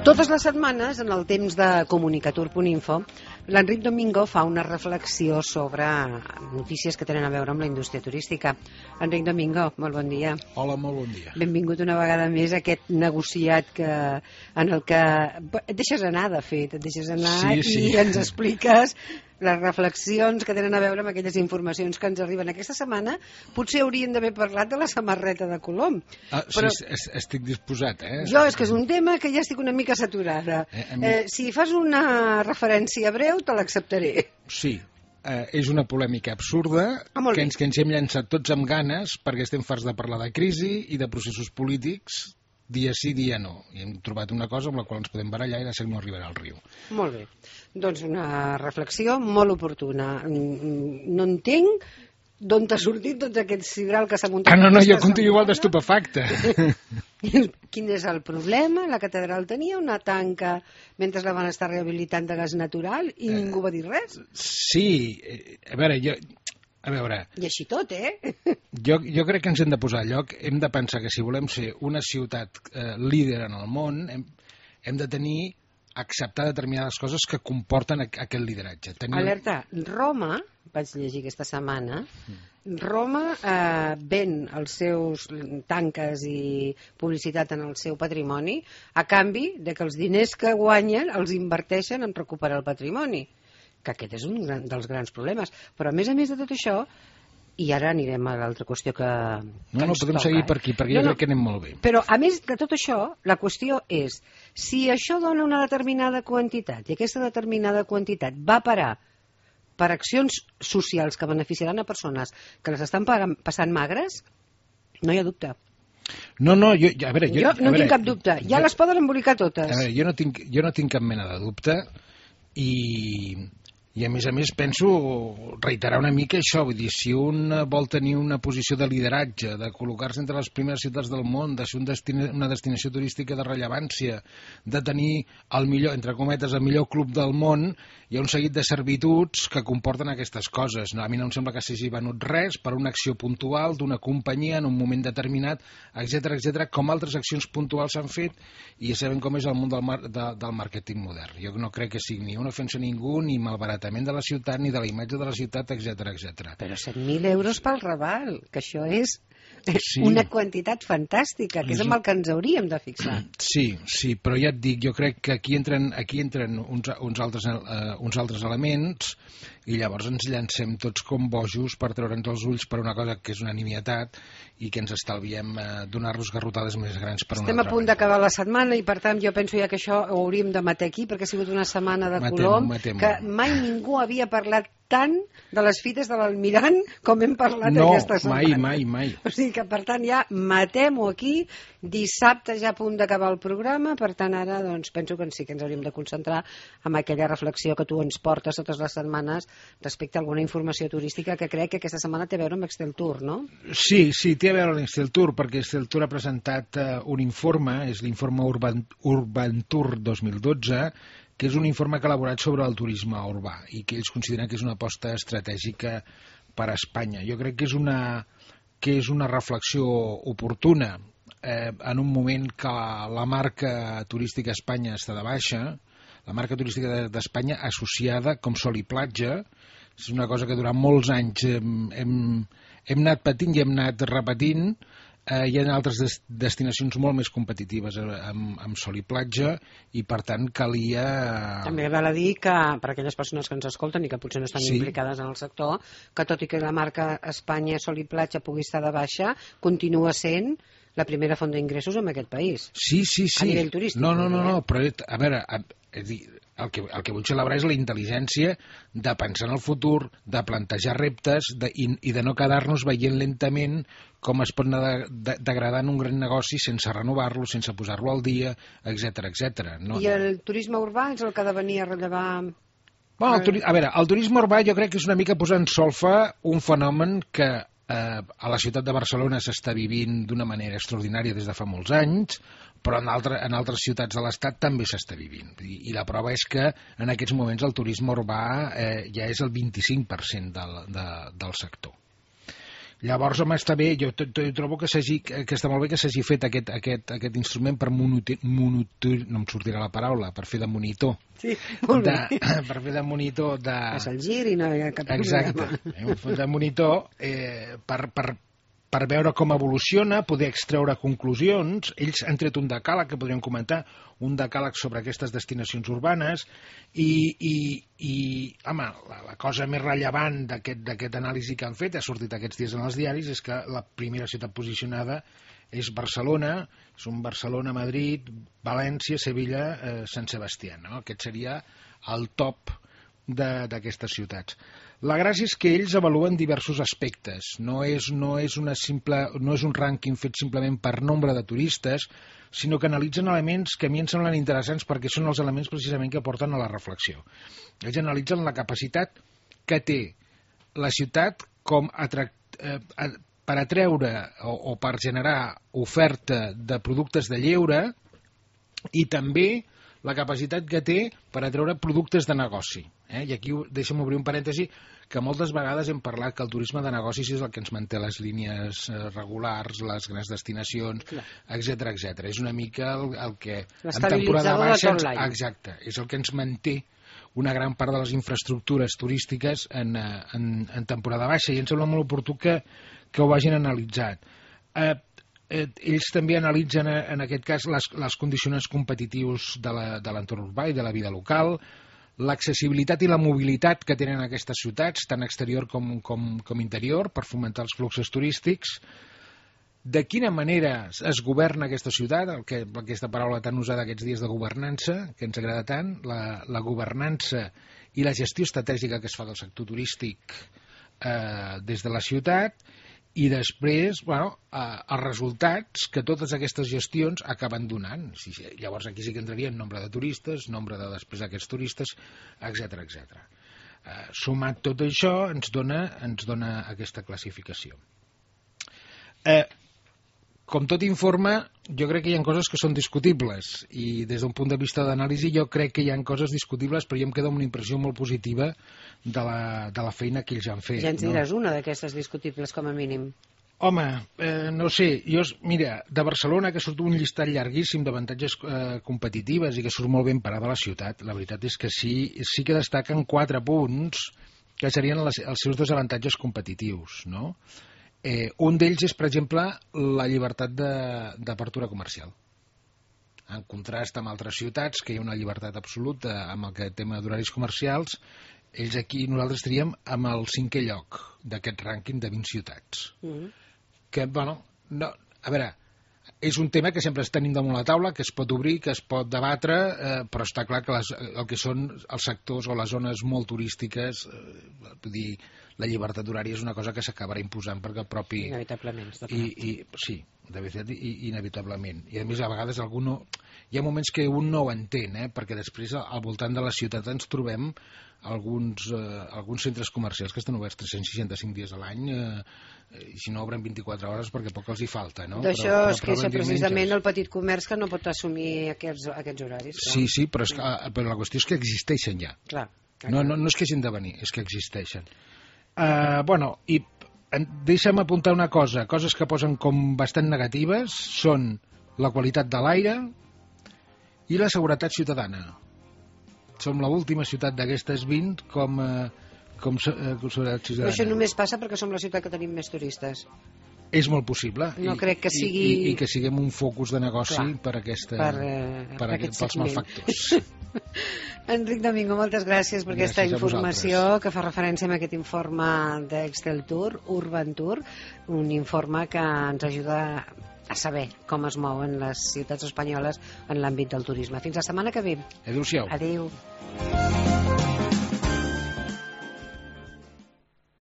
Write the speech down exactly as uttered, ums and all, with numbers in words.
Totes les setmanes, en el temps de comunicatur punt info, l'Enric Domingo fa una reflexió sobre notícies que tenen a veure amb la indústria turística. Enric Domingo, molt bon dia. Hola, molt bon dia. Benvingut una vegada més a aquest negociat que, en el que et deixes anar, de fet, et deixes anar sí, sí. i ens expliques les reflexions que tenen a veure amb aquelles informacions que ens arriben. Aquesta setmana potser hauríem d'haver parlat de la samarreta de Colom. Ah, però sí, estic disposat, eh? Jo és que és un tema que ja estic una mica saturada. Eh, mi... eh, si fas una referència breu, te l'acceptaré. Sí, eh, és una polèmica absurda ah, que, ens, que ens hem llançat tots amb ganes perquè estem farts de parlar de crisi i de processos polítics dia sí, dia no. I hem trobat una cosa amb la qual ens podem barallar i de seguida no arribarà al riu. Molt bé. Doncs una reflexió molt oportuna. No entenc d'on t'ha sortit tot aquest sidral que s'ha muntat. Ah, no, no, jo continuo igual d'estupefacte. Quin és el problema? La catedral tenia una tanca mentre la van estar rehabilitant de gas natural i eh, ningú va dir res? Sí, a veure, jo... A veure... I així tot, eh? Jo, jo crec que ens hem de posar a lloc, hem de pensar que si volem ser una ciutat eh, líder en el món, hem, hem de tenir, acceptar determinades coses que comporten aquest lideratge. Tenir... Alerta, Roma, vaig llegir aquesta setmana, Roma eh, ven els seus tanques i publicitat en el seu patrimoni a canvi de que els diners que guanyen els inverteixen en recuperar el patrimoni, que aquest és un gran, dels grans problemes. Però a més a més de tot això, i ara anirem a l'altra qüestió que, que no, no, ens podem toca, seguir eh? per aquí, perquè no, jo crec no, que anem molt bé. Però a més de tot això, la qüestió és, si això dona una determinada quantitat, i aquesta determinada quantitat va parar per accions socials que beneficiaran a persones que les estan passant magres, no hi ha dubte. No, no, jo, a veure... Jo, jo no a veure, tinc cap dubte, ja jo, les poden embolicar totes. A veure, jo no tinc, jo no tinc cap mena de dubte i... I a més a més penso reiterar una mica això, vull dir, si un vol tenir una posició de lideratge, de col·locar-se entre les primeres ciutats del món, de ser un destina, una destinació turística de rellevància, de tenir el millor, entre cometes, el millor club del món, hi ha un seguit de servituds que comporten aquestes coses. No, a mi no em sembla que s'hagi venut res per una acció puntual d'una companyia en un moment determinat, etcètera, etcètera, com altres accions puntuals s'han fet i ja sabem com és el món del, mar, de, del màrqueting modern. Jo no crec que sigui ni una ofensa a ningú, ni malbarat de la ciutat, ni de la imatge de la ciutat, etcètera, etcètera. Però set mil euros pel Raval, que això és sí. una quantitat fantàstica, que és amb el que ens hauríem de fixar. Sí, sí, però ja et dic, jo crec que aquí entren, aquí entren uns, uns, altres, uh, uns altres elements i llavors ens llancem tots com bojos per treure'ns els ulls per una cosa que és una nimietat i que ens estalviem uh, donar-nos garrotades més grans per una Estem altra. Estem a punt d'acabar la setmana i per tant jo penso ja que això ho hauríem de matar aquí perquè ha sigut una setmana de Colom que mai ningú havia parlat tant de les fites de l'Almirant com hem parlat no, aquesta setmana. No, mai, mai, mai. O sigui que, per tant, ja matem-ho aquí. Dissabte ja a punt d'acabar el programa, per tant, ara doncs, penso que sí que ens hauríem de concentrar en aquella reflexió que tu ens portes totes les setmanes respecte a alguna informació turística que crec que aquesta setmana té a veure amb Excel Tour, no? Sí, sí, té a veure amb Excel Tour, perquè Excel Tour ha presentat uh, un informe, és l'informe Urban, Urban Tour dos mil dotze, que és un informe que ha elaborat sobre el turisme urbà i que ells consideren que és una aposta estratègica per a Espanya. Jo crec que és una, que és una reflexió oportuna eh, en un moment que la marca turística a Espanya està de baixa, la marca turística d'Espanya associada com sol i platja, és una cosa que durant molts anys hem, hem, hem anat patint i hem anat repetint. Eh, hi ha altres des destinacions molt més competitives amb, amb sol i platja i per tant calia... També val a dir que per aquelles persones que ens escolten i que potser no estan sí. implicades en el sector, que tot i que la marca Espanya sol i platja pugui estar de baixa, continua sent la primera font d'ingressos en aquest país. Sí, sí, sí. A nivell turístic. No, no, no, no però a veure, a, a dir, el que, el que vull celebrar és la intel·ligència de pensar en el futur, de plantejar reptes de, i, i de no quedar-nos veient lentament com es pot anar de, de, degradant un gran negoci sense renovar-lo, sense posar-lo al dia, etcètera, etcètera. No, I el turisme urbà és el que ha de venir a rellevar... Bueno, el, a veure, el turisme urbà jo crec que és una mica posar en solfa un fenomen que eh, a la ciutat de Barcelona s'està vivint d'una manera extraordinària des de fa molts anys, però en, altre, en altres ciutats de l'Estat també s'està vivint. I, I la prova és que en aquests moments el turisme urbà eh, ja és el vint-i-cinc per cent del, de, del sector. Llavors, home, està bé, jo trobo que, que està molt bé que s'hagi fet aquest, aquest, aquest instrument per monitor, monitor, no em sortirà la paraula, per fer de monitor. Sí, molt de, bé. Per fer de monitor de... Fas el gir i no hi ha cap problema. Exacte, de monitor eh, per, per, per veure com evoluciona, poder extreure conclusions. Ells han tret un decàleg que podríem comentar, un decàleg sobre aquestes destinacions urbanes i, i, i home, la, la cosa més rellevant d'aquest anàlisi que han fet, ha sortit aquests dies en els diaris, és que la primera ciutat posicionada és Barcelona, és un Barcelona, Madrid, València, Sevilla, eh, Sant Sebastià, no? Aquest seria el top d'aquestes ciutats. La gràcia és que ells avaluen diversos aspectes, no és, no és, una simple, no és un rànquing fet simplement per nombre de turistes, sinó que analitzen elements que a mi em semblen interessants perquè són els elements precisament que porten a la reflexió. Ells analitzen la capacitat que té la ciutat com atract, eh, per atreure o, o per generar oferta de productes de lleure i també la capacitat que té per atreure productes de negoci. Eh? I aquí deixa'm obrir un parèntesi que moltes vegades hem parlat que el turisme de negocis és el que ens manté les línies regulars, les grans destinacions, etcètera, etcètera. És una mica el, el que en temporada baixa ens, exacte, és el que ens manté una gran part de les infraestructures turístiques en, en, en temporada baixa, i em sembla molt oportú que, que ho vagin analitzat. Eh, eh, ells també analitzen en aquest cas les, les condicionants competitius de l'entorn urbà i de la vida local, l'accessibilitat i la mobilitat que tenen aquestes ciutats, tant exterior com, com, com interior, per fomentar els fluxos turístics, de quina manera es governa aquesta ciutat, el que, aquesta paraula tan usada aquests dies de governança, que ens agrada tant, la, la governança i la gestió estratègica que es fa del sector turístic eh, des de la ciutat, i després, bueno, eh, els resultats que totes aquestes gestions acaben donant. Sí, sí, llavors aquí sí que entrarien nombre de turistes, nombre de després d'aquests turistes, etcètera, etcètera. Eh, sumat tot això ens dona, ens dona aquesta classificació. Eh, com tot informe, jo crec que hi ha coses que són discutibles, i des d'un punt de vista d'anàlisi jo crec que hi ha coses discutibles, però jo em quedo amb una impressió molt positiva de la, de la feina que ells han fet. Ja ens diràs no? una d'aquestes discutibles, com a mínim. Home, eh, no sé, jo, mira, de Barcelona, que surt un llistat llarguíssim d'avantatges eh, competitives i que surt molt ben parada la ciutat, la veritat és que sí, sí que destaquen quatre punts que serien les, els seus desavantatges competitius, no? Eh, un d'ells és, per exemple, la llibertat d'apertura comercial. En contrast amb altres ciutats, que hi ha una llibertat absoluta amb el tema d'horaris comercials, ells aquí, nosaltres estaríem amb el cinquè lloc d'aquest rànquing de vint ciutats. Mm-hmm. Que, bueno, no, a veure, és un tema que sempre es tenim damunt la taula, que es pot obrir, que es pot debatre, eh, però està clar que les, el que són els sectors o les zones molt turístiques, eh, vull dir, la llibertat horària és una cosa que s'acabarà imposant perquè el propi... Inevitablement. I, i, sí, de veritat, i, inevitablement. I a més, a vegades algú no... Hi ha moments que un no ho entén, eh? Perquè després al voltant de la ciutat ens trobem alguns, eh, alguns centres comercials que estan oberts tres-cents seixanta-cinc dies a l'any eh, i si no obren vint-i-quatre hores perquè poc els hi falta, no? D'això es queixa precisament el petit comerç que no pot assumir aquests, aquests horaris. Clar. Sí, sí, però, és que, però la qüestió és que existeixen ja. Clar, clar, no, no, no és que hagin de venir, és que existeixen. Uh, bueno, i deixa'm apuntar una cosa, coses que posen com bastant negatives són la qualitat de l'aire i la seguretat ciutadana. Som l'última ciutat d'aquestes vint com, uh, com, uh, com seguretat ciutadana. Però això només passa perquè som la ciutat que tenim més turistes. És molt possible. No I, crec que sigui... I, i, i que siguem un focus de negoci Clar, per, aquesta, per, uh, per, per aquest pels malfactors. Enric Domingo, moltes gràcies per gràcies aquesta informació que fa referència a aquest informe d'Excel Tour, Urban Tour, un informe que ens ajuda a saber com es mouen les ciutats espanyoles en l'àmbit del turisme. Fins la setmana que ve. Adéu-siau. Adéu.